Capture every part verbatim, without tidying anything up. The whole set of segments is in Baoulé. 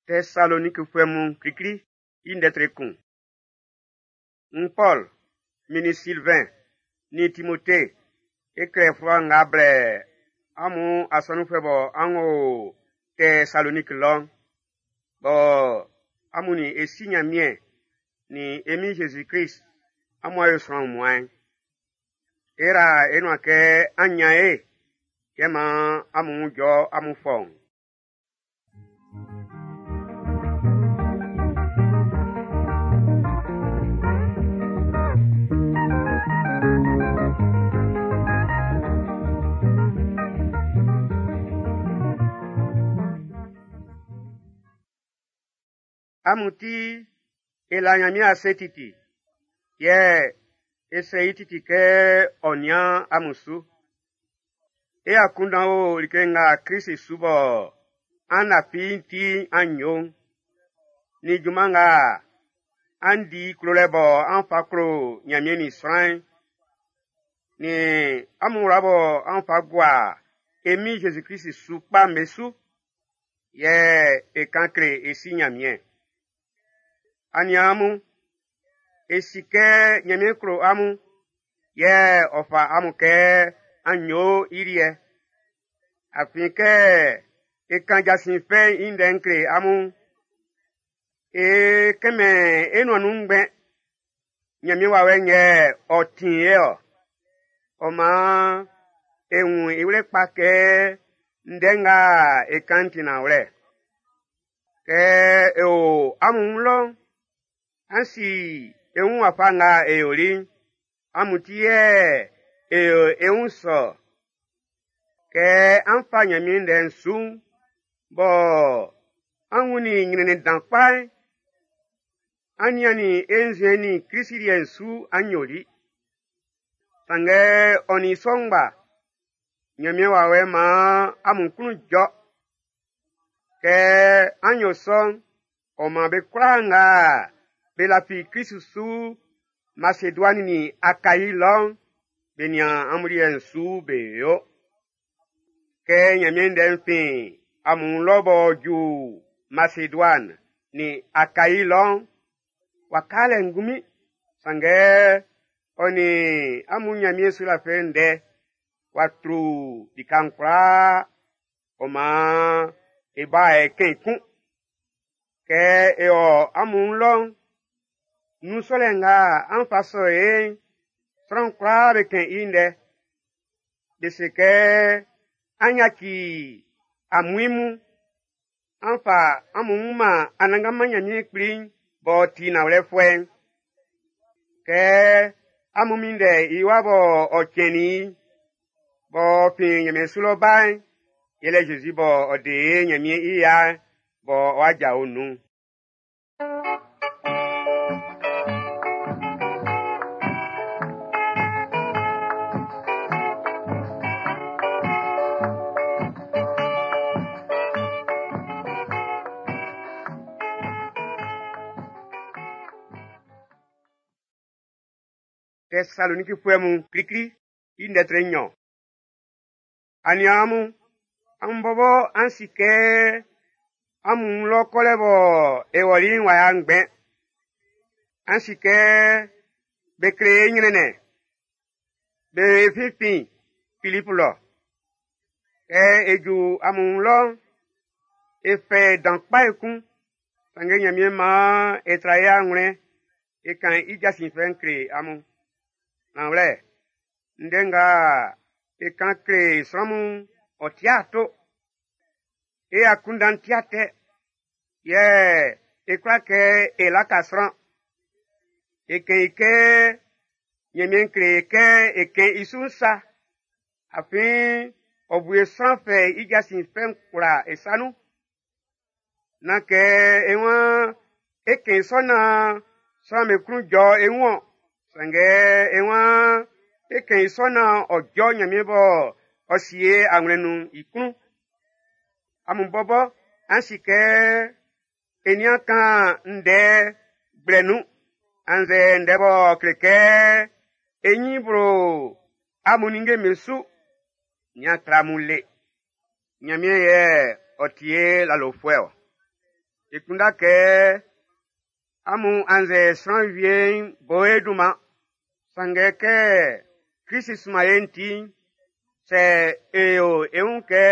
Tɛsalonikifuɛ mun klikli i ndɛ tre kun. N Pɔl, min nin Silvɛn, nin Timote, e klɛ fluwa nga blɛ amun asɔnunfuɛ bɔ an o Tɛsaloniki lɔ'n, bɔ amun nin e Si Nyanmiɛn nin e Min Jésus-Krist amun a yo sran wunmuan'n. E ra e nuan kɛ an nyan e, yɛ man amun wun jɔ amun fɔuun. Amun ti e la Nyanmiɛn ase titi, yɛ e srɛ i titi kɛ ɔ nian amun su. E akunndan o like nga Krist su bɔ an lafi'n ti an yo'n, nin junman nga an di klolɛ bɔ an fa klo Nyanmiɛn nin sran'n, nin amun wla bɔ an fa gua e Min Jésus-Krist su kpa'n be su, yɛ e kan kle e Si Nyanmiɛn. Aniaan mun, e si kɛ Nyanmiɛn klo amun, yɛ ɔ fa amun kɛ an yo i liɛ. Afin kɛ e kan jasin fɛ'n i ndɛ'n kle amun, e kɛmɛn e nuan nun ngbɛn. Nyanmiɛn wawɛ'n yɛ ɔ tin e-ɔ. Ɔ maan e wun i wlɛ kpa kɛ ndɛ nga e kan'n ti nanwlɛ. Kɛ e o amun wun lɔ'n, an si e wun wafa nga e yoli'n, amun ti yɛ e yo e wun sɔ. Kɛ an fa Nyanmiɛn ndɛ'n su'n, bɔ an wunnin nyrɛnnɛn dan kpa'n, an niannin e nzuɛn'n nin Krist liɛ'n su an yoli. Sanngɛ ɔ nin sɔ ngba, Nyanmiɛn wawɛ'n maan amun klun jɔ. Kɛ an yo sɔ'n, ɔ man be kwlaa nga be lafi Krist su Maseduani nin Akayi lɔ'n, be nian amun liɛ'n su be yo. Kɛ Nyanmiɛn ndɛ'n fin amun lɔ b'ɔ ju Maseduani nin Akayi lɔ'n, w'a ka lɛ ngunmin, sanngɛ ɔ nin amun Nyanmiɛn sulafilɛ ndɛ w'a tru lika'n kwlaa, ɔ maan e ba e kɛn i kun. Kɛ e o amun lɔ'n, nun sɔlɛ nga an fa sɔ e'n, sran kwlaa be kɛn i ndɛ. Be se kɛ an yaci amuin mun, an fa amun wun man Anannganman Nyanmiɛn Kpli'n b'ɔ ti nanwlɛfuɛ'n. Kɛ amun minndɛ i wa bɔ ɔ cɛnnin b'ɔ fin Nyanmiɛn su lɔ ba'n, yɛlɛ Jésus bɔ ɔ de e Nyanmiɛn i ya'n bɔ ɔ'a jao nun'n. Tɛsalonikifuɛ mun klikli i ndɛ tre nnyɔn. Aniaan mun, amun bɔbɔ an si kɛ amun lɔ kɔlɛ bɔ e wɔli'n w'a ya ngbɛn. An si kɛ be kle e nyrɛnnɛn, be finfin Filipu lɔ. Kɛ e ju amun lɔ'n, e fɛ dan kpa ekun, sanngɛ Nyanmiɛn maan e tra e anwlɛn e kan i jasin fɛ'n kle amun. Nanwlɛ, ndɛ nga e kan kle sran mun'n, ɔ ti ato. E akunndan'n ti atɛ, yɛ e kwla kɛ e laka sran. E kɛn i kɛ Nyanmiɛn kle e kɛ e kɛn i su'n sa, afin ɔ bu e sran fɛ i jasin fɛ'n kwlaa e sa nun. Nán kɛ e waan e kɛn sɔ naan sran'm be klun jɔ e wun-ɔn, sanngɛ e waan e kɛn i sɔ naan ɔ jɔ Nyanmiɛn bɔ ɔ sie anwlɛn nun'n i klun. Amun bɔbɔ an si kɛ e nian kan ndɛ gblɛ nun, annzɛ ndɛ b'ɔ kle kɛ e nyin blo amun ninnge'm be su, nian tra amun le. Nyanmiɛn yɛ ɔ ti e lalofuɛ-ɔ. E kunndɛ kɛ amun annzɛ sran wie bo e dunman. Sanngɛ kɛ Krist sunman e'n ti'n, sɛ e yo e wun kɛ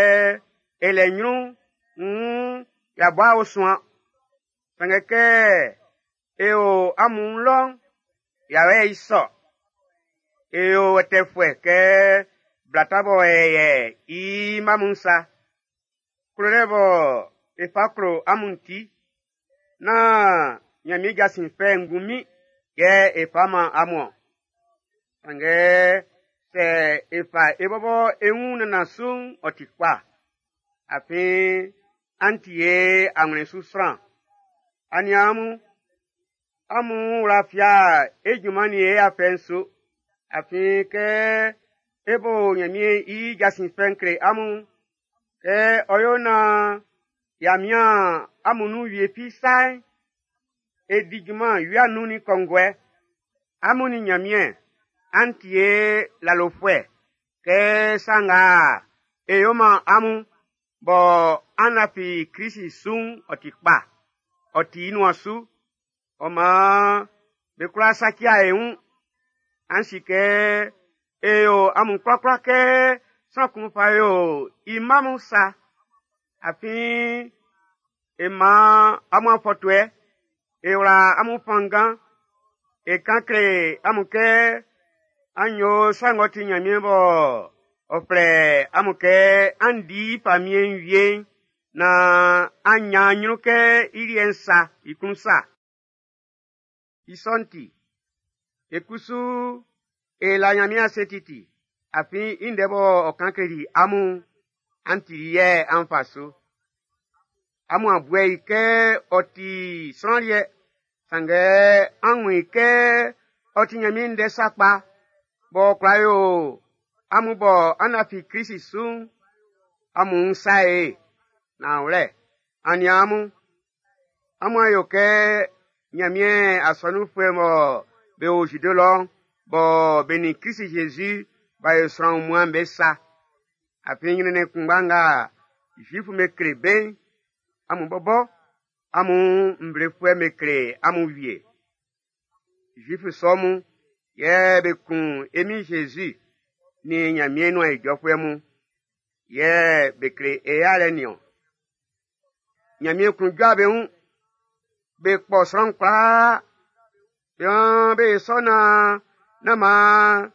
e lɛ ɲrun'n, nn y'a bɔ a suan. Sanngɛ kɛ e o amun lɔ'n, y'a yɛ i sɔ. E yo wɛtɛfuɛ kɛ blata bɔ e yɛ i mma mun sa. Klolɛ bɔ e fa klo amun ti, nán Ɲanmiɛn jasin fɛ'n ngunmin yɛ e fa man amun. Sanngɛ sɛ e fa e bɔbɔ e wun nannan su'n, ɔ ti kpa. Afin an ti e awlɛn su sran. Aniaan mun, amun wla fia e junman nin e afɛ'n su. Afin kɛ e bo Ɲanmiɛn i jasin fɛ'n kle amun, kɛ ɔ yo naan y'a mian amun nun wie fi sa'n, e di junman wia nun nin kɔnguɛ. Amun nin Ɲanmiɛn, an ti e lalofuɛ kɛ sa nga e yo man amun bɔ an lafi Krist su'n ɔ ti kpa, ɔ ti i nuan su. Ɔ maan be kwla saci e wun. An si kɛ e yo amun kwlakwla kɛ sran kun fa yo i mma mun sa. Afin e man amun afɔtuɛ, e wla amun fanngan, e kan kle amun kɛ an yo sa ng'ɔ ti Ɲanmiɛn bɔ ɔ flɛ amun kɛ an di i famiɛn'n wie'n, naan an ɲan ɲrun kɛ i liɛ'n sa, i klun sa. I sɔ'n ti, e kusu e la Ɲanmiɛn ase titi, afin i ndɛ bɔ ɔ kan kleli amun'n, an tili yɛ an fa su. Amun a buɛ i kɛ ɔ ti sran liɛ, sanngɛ an wun i kɛ ɔ ti Ɲanmiɛn ndɛ sakpa, b'ɔ kwla yo amun bɔ an lafi Krist su'n, amun sa e. Nanwlɛ, aniaan mun, amun a yo kɛ Ɲanmiɛn asɔnunfuɛ mɔ be o Zide lɔ'n, bɔ be nin Krist Jésus b'a yo sran wunmuan'n be sa. Afin ɲrɛnnɛn kunngba nga Zuifu'm be kle be'n, amun bɔbɔ amun nvlefuɛ'm be kle amun wie. Zuifu sɔ mun yɛ be kun e Min Jésus nin Ɲanmiɛn nuan ijɔfuɛ mun, yɛ be kle e yalɛ nin-ɔn. Ɲanmiɛn klun jɔ be wun, be kpɔ sran kwlaa, be waan be sɔ naan nán maan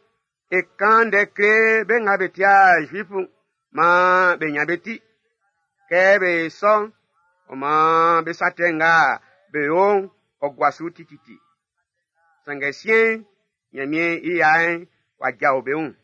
e kan ndɛ kle be nga be tia Zuifu'n, maan be ɲan be ti. Kɛ be sɔ'n, ɔ maan be sa tɛ nga be yo'n, ɔ gua su tititi. Sanngɛ siɛn'n, Ɲanmiɛn i ya'n w'a jao be wun.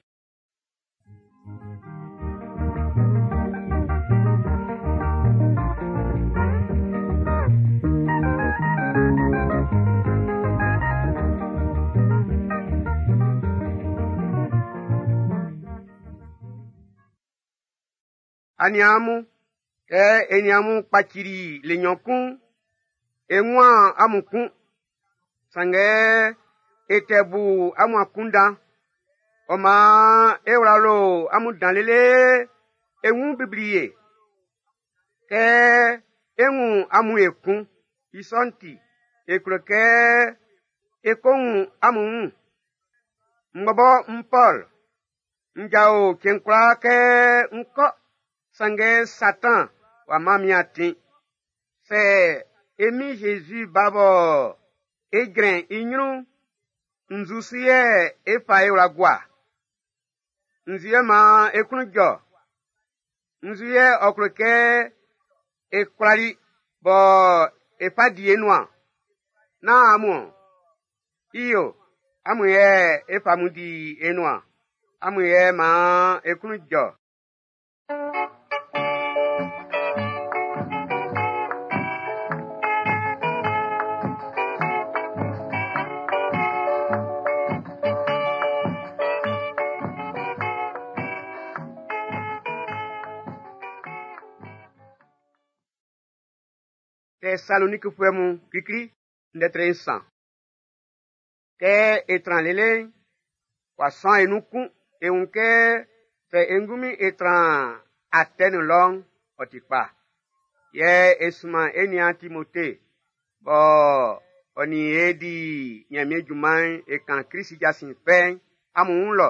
Aniaan mun, kɛ e nin amun kpacili le nɲɔn kun'n, e nwan amun kun. Sanngɛ e tɛ bu amun akunndan. Ɔ maan e wla lo amun dan lele e wun bibli e. Kɛ e wun amun ekun, i sɔ'n ti, e klo kɛ e ko wun amun wun. M bɔbɔ n Pɔl, n jao cɛn kwlaa kɛ n kɔ, sanngɛ Satan w'a man min atin. Sɛ e Min Jésus ba bɔ e jrɛn i ɲrun'n, nzu su yɛ e fa e wla gua? Nzu yɛ maan e klun jɔ? Nzu yɛ ɔ klo kɛ e kwlali bɔ e fa di e nuan? Nán amun ɔ? I yo, amun yɛ e fa amun di e nuan. Amun yɛ maan e klun jɔ. Tɛsalonikifuɛ mun klikli ndɛ tre nsan. Kɛ e tran lele'n, w'a sɔn e nun kun. E wun kɛ sɛ e ngunmin e tran Atɛni lɔ'n, ɔ ti kpa. Yɛ e sunman e niaan Timote, bɔ ɔ nin e di Ɲanmiɛn junman'n e kan Krist jasin fɛ'n amun wun lɔ,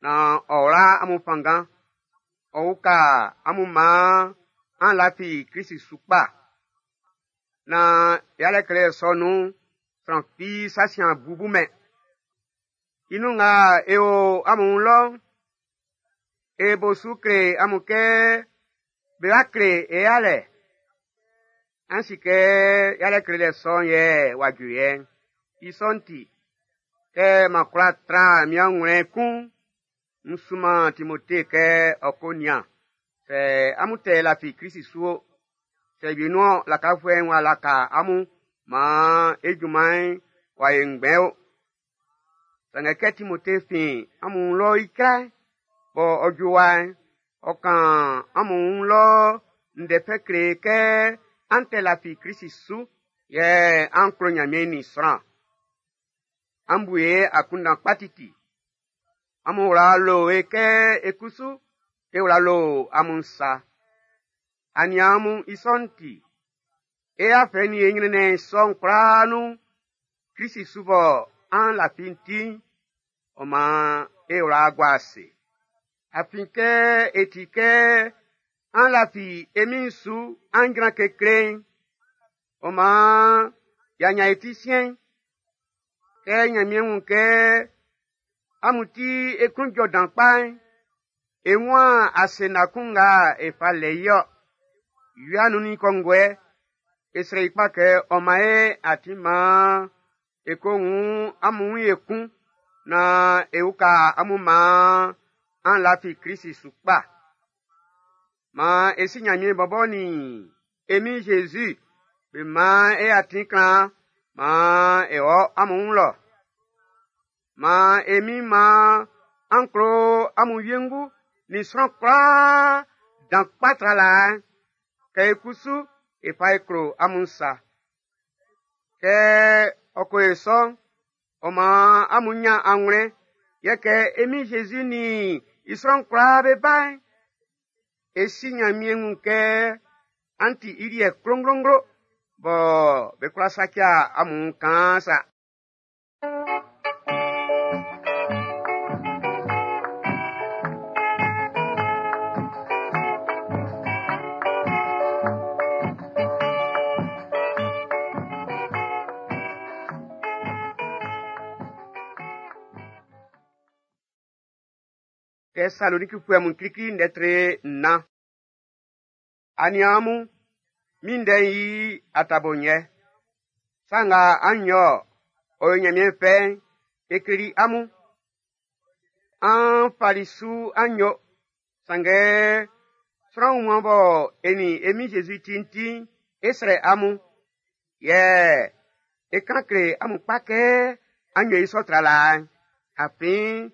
naan ɔ wla amun fanngan, ɔ uka amun maan an lafi Krist su kpa. Naan yalɛ klelɛ sɔ nun'n, sran fi sa sin a bubumɛn. I nun nga e o amun wun lɔ'n, e bo su kle amun kɛ be wa kle e yalɛ. An si kɛ yalɛ klelɛ sɔ'n yɛ w'a ju yɛ'n. I sɔ'n ti, kɛ m'an kwla tra min anwlɛn kun'n, n sunman Timote kɛ ɔ ko nian sɛ amun tɛ lafi Krist su o. Sɛ wienun-ɔn lakafuɛ'n w'a laka amun maan e junman'n w'a yo ngbɛn o. Sanngɛ kɛ Timote fin amun wun lɔ icra'n, bɔ ɔ ju wa'n, ɔ kan amun wun lɔ ndɛ fɛ kle kɛ an tɛ lafi Krist su, yɛ an klo Ɲanmiɛn nin sran. An bu e akunndan kpa titi. Amun wla lo e kɛ e kusu e wla lo amun sa. Aniaan mun, i sɔ'n ti, e afɛ nin e ɲrɛnnɛn sɔ'n kwlaa nun, Krist su bɔ an lafi'n ti'n, ɔ maan e wla gua ase. Afin kɛ e ti kɛ an lafi e Min'n su an jran kekle'n, ɔ maan y'a ɲan e ti siɛn'n. Kɛ Ɲanmiɛn wun kɛ amun ti e klun jɔ dan kpa'n, e wun ase na kun nga e fa lɛ i ɔ. Wia nun nin kɔnguɛ, e srɛ i kpa kɛ ɔ man e atin maan e ko wun amun wun ekun naan e uka amun maan an lafi Krist su kpa. Maan e si Ɲanmiɛn bɔbɔ nin e Min Jésus be maan e atin klan maan e wɔ amun wun lɔ. Maan e Min maan an klo amun wiengu nin sran kwlaa dan kpa tra laa'n, kɛ e kusu e fa e klo amun sa. Kɛ ɔ ko yo sɔ'n, ɔ maan amun ɲan anwlɛn, yɛ kɛ e Min Jésus nin i sran kwlaa be ba'n, e si Ɲanmiɛn wun kɛ an ti i liɛ klonglonglo, bɔ be kwla saci amun kaan sa. Tɛsalonikifuɛ mun klikli ndɛ tre nnan. Aniaan mun, min ndɛ'n yi atabo nyɛ. Sa nga an yo ɔ yo Ɲanmiɛn fɛ'n, e kleli amun. An fali su an yo, sanngɛ sran wunmuan bɔ e nin e Min Jésus ti'n ti'n, e srɛ amun. Yɛ e kan kle amun kpa kɛ an yo i sɔ tra laa'n. Afin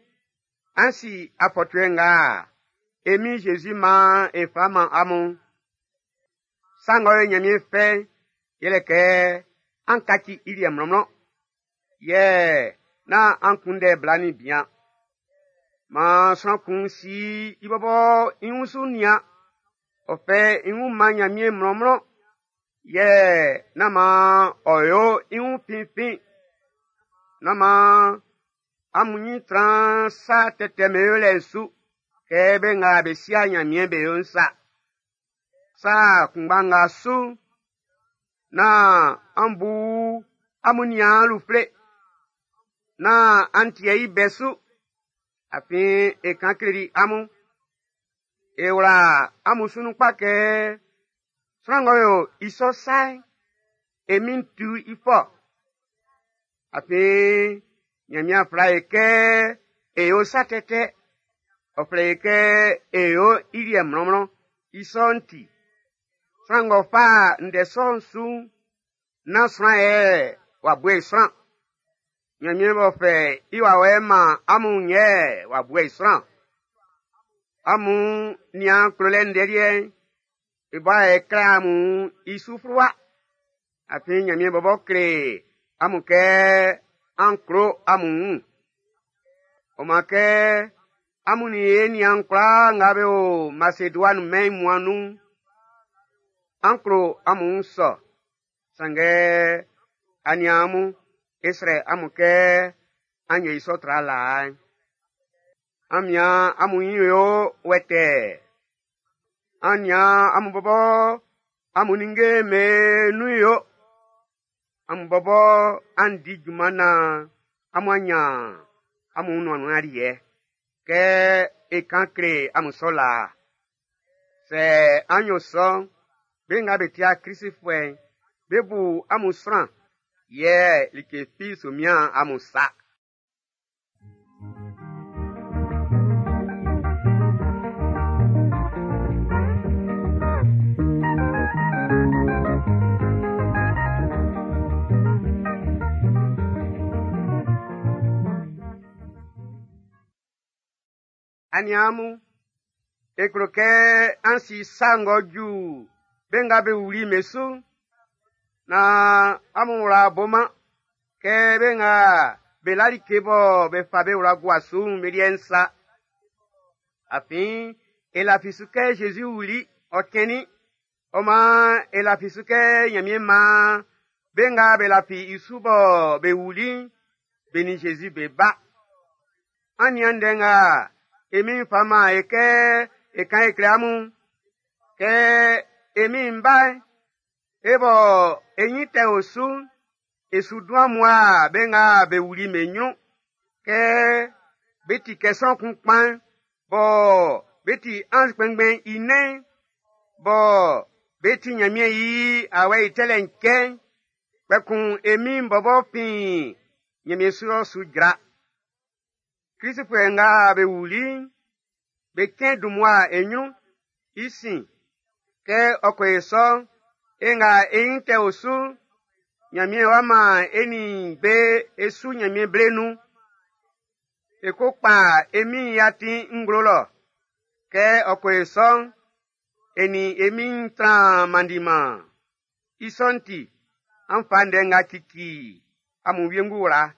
an si afɔtuɛ nga e Min Jésus maan e fa man amun. Sa ng'ɔ yo Ɲanmiɛn fɛ'n, yɛlɛ kɛ an kaci i liɛ mlɔnmlɔn. Yɛ nán an kunndɛ bla nin bian. Maan sran kun si i bɔbɔ i wun su nian. Ɔ fɛ i wun man Ɲanmiɛn mlɔnmlɔn. Yɛ nán maan ɔ yo i wun finfin. Nán maan amun ɲin tran sa tɛtɛ be yolɛ'n su kɛ be nga be sia Ɲanmiɛn be yo'n sa. Sa kunngba nga su, nán an bu amun niaan lufle. Nán an tie i bɛ su, afin e kan kleli amun. E wla amun su nun kpa kɛ sran ng'ɔ yo i sɔ sa'n, e Min'n tu i fɔ. Afin Ɲanmiɛn flɛ e kɛ e yo sa tɛtɛ. Ɔ flɛ e kɛ e yo i liɛ mlɔnmlɔn. I sɔ'n ti, sran ng'ɔ fa ndɛ sɔ'n su'n, nán sran yɛ w'a bu e sran. Ɲanmiɛn b'ɔ fɛ i wawɛ'n man amun yɛ w'a bu e sran. Amun nian klolɛ ndɛ liɛ'n, e bɔ e klɛ amun i su fluwa. Afin Ɲanmiɛn bɔbɔ kle amun kɛ an klo amun wun. Ɔ maan kɛ amun nin e niaan kwlaa nga be o Maseduani mɛn'n wunmuan'n nun'n, An klo amun sɔ. Sanngɛ aniaan mun, e srɛ amun kɛ an yo i sɔ tra laa'n. An mian amun nyin yo wɛtɛɛ. An nian amun bɔbɔ amun ninnge'm be nun yo. Amun bɔbɔ an di junman naan amun a nyan amun nuan nun aliɛ. Kɛ e kan kle amun sɔ laa. Sɛ an yo sɔ'n, be nga be tia Klisifuɛ'n, be bu amun sran, yɛ like fi su mian amun sa. Aniaan mun, e klo kɛ an si sa ng'ɔ ju be nga be wuli be su'n, naan amun wla boman kɛ be nga be la like bɔ be fa be wla gua su'n be liɛ'n sa. Afin e lafi su kɛ Zezi wuli, ɔ cɛnnin. Ɔ maan e lafi su kɛ Ɲanmiɛn maan be nga be lafi i su bɔ be wuli'n, be nin Zezi be ba. An nian ndɛ nga e Min'n fa man e kɛ e kan e kle amun. Kɛ e Min'n bá'n, e bɔ e nyin tɛ o su'n, e su dun ammua be nga be wuli'n be ɲrun. Kɛ be ti kɛ sran kun kpan'n, bɔ be ti anz kpɛnngbɛn i nɛn'n, bɔ be ti Ɲanmiɛn i awɛ i tɛlɛ'n cɛ'n, kpɛkun e Min'n bɔbɔ fin Ɲanmiɛn su lɔ su jra. Klisifuɛ nga be wuli'n, be cɛn dun mmua e ɲrun. I sin, kɛ ɔ ko yo sɔ'n, e nga e nyin tɛ o su'n, Ɲanmiɛn wá maan e nin be e su Ɲanmiɛn ble nun. E ko kpa e Min'n i atin nglo lɔ. Kɛ ɔ ko yo sɔ'n, e nin e Min'n tran mandiman. I sɔ'n ti, an fa ndɛ nga cici amun wiengu wla.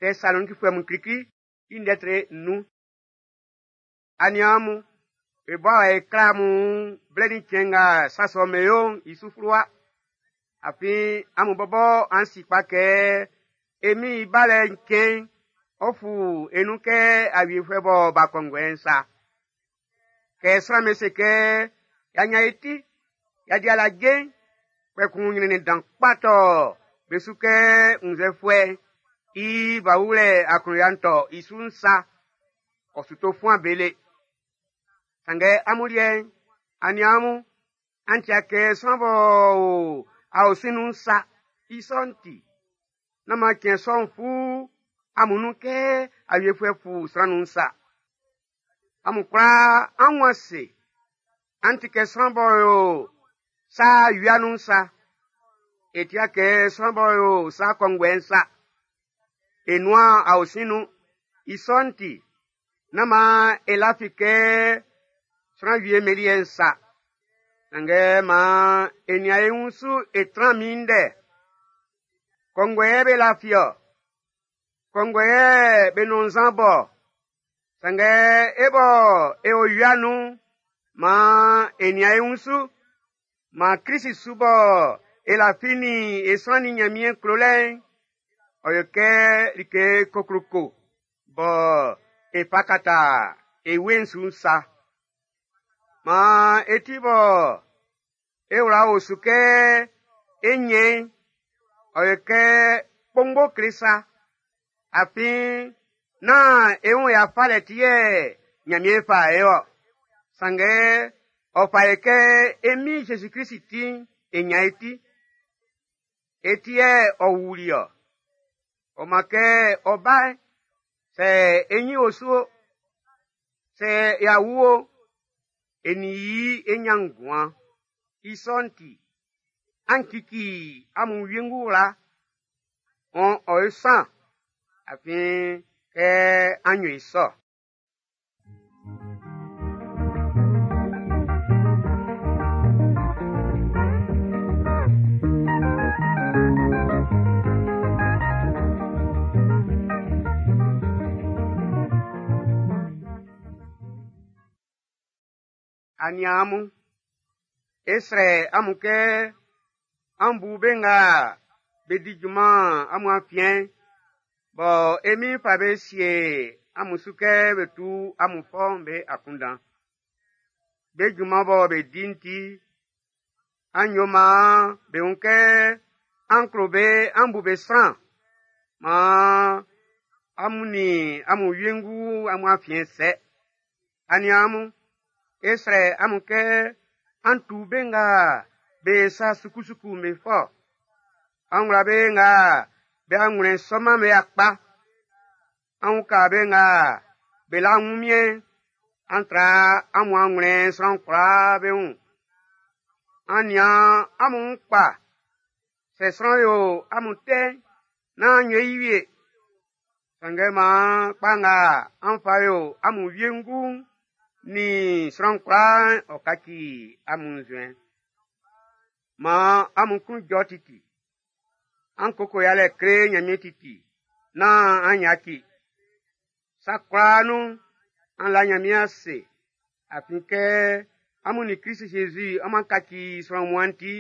Tɛsalonikifuɛ mun klikli i ndɛ tre nnun. Aniaan mun, e bɔ e kla amun blɛ ni cɛn nga sa sɔ'm be yo'n i su fluwa. Afin amun bɔbɔ an si kpa kɛ e Min'n i balɛ'n cɛn'n, ɔ fu e nun kɛ awiefuɛ bɔ ba kɔnguɛ'n sa. Kɛ sran'm be se kɛ y'a ɲan e ti, y'a di alaje'n, kpɛkun ɲrɛnnɛn dan kpa tɔ be su kɛ wunnzɛfuɛ'n i ba wulɛ aklunya'n tɔ i su'n sa, ɔ su to fuan be le. Sanngɛ amun liɛ'n, aniaan mun, an tia kɛ sran b'ɔ o aosin nun'n sa. I sɔ'n ti, nán maan cɛn sɔ'n fu amun nun kɛ awiefuɛ fu sran nun'n sa. Amun kwlaa an wun ase, an ti kɛ sran b'ɔ o sa wia nun'n sa. E tia kɛ sran b'ɔ o sa kɔnguɛ'n sa. E nuan aosin nun. I sɔ'n ti, nán maan e lafi kɛ sran wie liɛ'n sa. Sanngɛ maan e nian e wun su e tran minndɛ. Kɔnguɛ yɛ be lafi-ɔ. Kɔnguɛ yɛ be nɔn nzan bɔ. Sanngɛ e bɔ e o wia nun'n, maan e nian e wun su. Maan Klisi su bɔ e lafi nin e sran nin Ɲanmiɛn klolɛ'n, ɔ yo kɛ like kokloko bɔ e fa kata e wue'n su'n sa. Maan e ti bɔ e wla o su kɛ e ɲɛn'n, ɔ yo kɛ kpongbo kle sa. Afin nán e wun ya falɛ ti yɛ Ɲanmiɛn fa e ɔ. Sanngɛ ɔ fa e kɛ e Min Zezi Klisi ti'n, e ɲan e ti. E ti yɛ ɔ wuli ɔ. Ɔ maan kɛ ɔ ba'n, sɛ e ɲin o su o, sɛ y'a wu o, e nin i e ɲan nguan. I sɔ'n ti, an cici amun wiengu wla, ɔ ɔ yo san, afin kɛ an yo i sɔ. Aniaan mun, e srɛ amun kɛ an bu be nga be di junman amun afiɛn'n, bɔ e Min'n fa be sie amun su kɛ be tu amun fɔ'n be akunndan. Be junman bɔ be di'n ti, an yo maan be wun kɛ an klo be, an bu be sran. Maan amun nin amun wiengu amun afiɛn sɛ. Aniaan mun, e srɛ amun kɛ an tu be nga be sa sukusuku'n be fɔ. An wla be nga be anwlɛn sɔman be akpa. An uka be nga be la wunmiɛn'n. An tra amun anwlɛn sran kwlaa be wun. An nian amun wun kpa. Sɛ sran yo amun tɛ'n, nán an yo i wie. Sanngɛ maan kpa nga an fa yo amun wiengu'n nin sran kwlaa'n ɔ kaci amun nzuɛn. Maan amun klun jɔ titi. An koko yalɛ kle Ɲanmiɛn titi, nán an yaci. Sa kwlaa nun, an la Ɲanmiɛn ase, afin kɛ amun nin Klisi Zezi amun kaci sran wunmuan'n ti,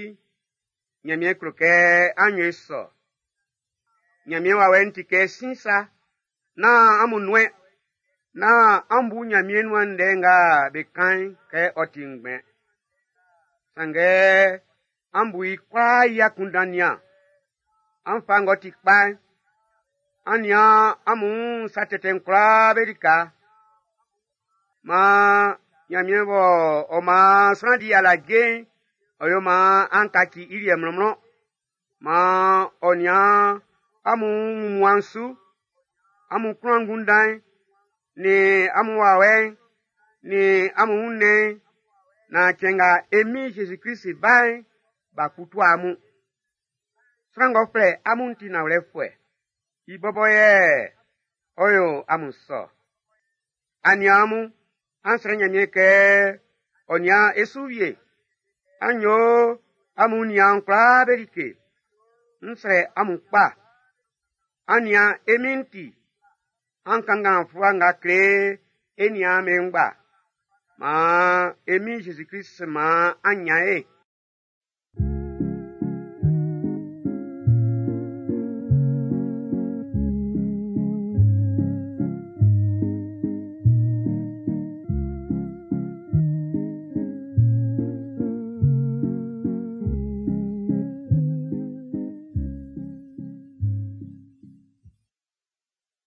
Ɲanmiɛn klo kɛ an yo i sɔ. Ɲanmiɛn wawɛ'n ti kɛ sin sa, nán amun nuɛn, nán an bu Ɲanmiɛn nuan ndɛ nga be kan'n kɛ ɔ ti ngbɛn. Sanngɛ an bu i kwlaa i akunndan nian. An fa ng'ɔ ti kpa'n. An nian amun wun sa tɛtɛ'n kwlaa be lika. Maan Ɲanmiɛn bɔ ɔ maan sran di alaje'n, ɔ yo maan an kaci i liɛ mlɔnmlɔn. Maan ɔ nian amun wunmuan'n su, amun klun angunndan'n, nin amun wawɛ'n, nin amun wunnɛn'n, naan cɛn nga e Min Zezi Klisi bá'n, b'a kputu amun. Sran ng'ɔ flɛ amun'n ti nanwlɛfuɛ. I bɔbɔ yɛ ɔ yo amun sɔ. Aniaan mun, an srɛ Ɲanmiɛn kɛ ɔ nian e su wie. An yo amun niaan kwlaa be like. N srɛ amun kpa. An nian e Min'n ti. An kanngan fluwa nga kle e niaan be ngba. Maan e Min Zezi Klist maan an ɲan ye.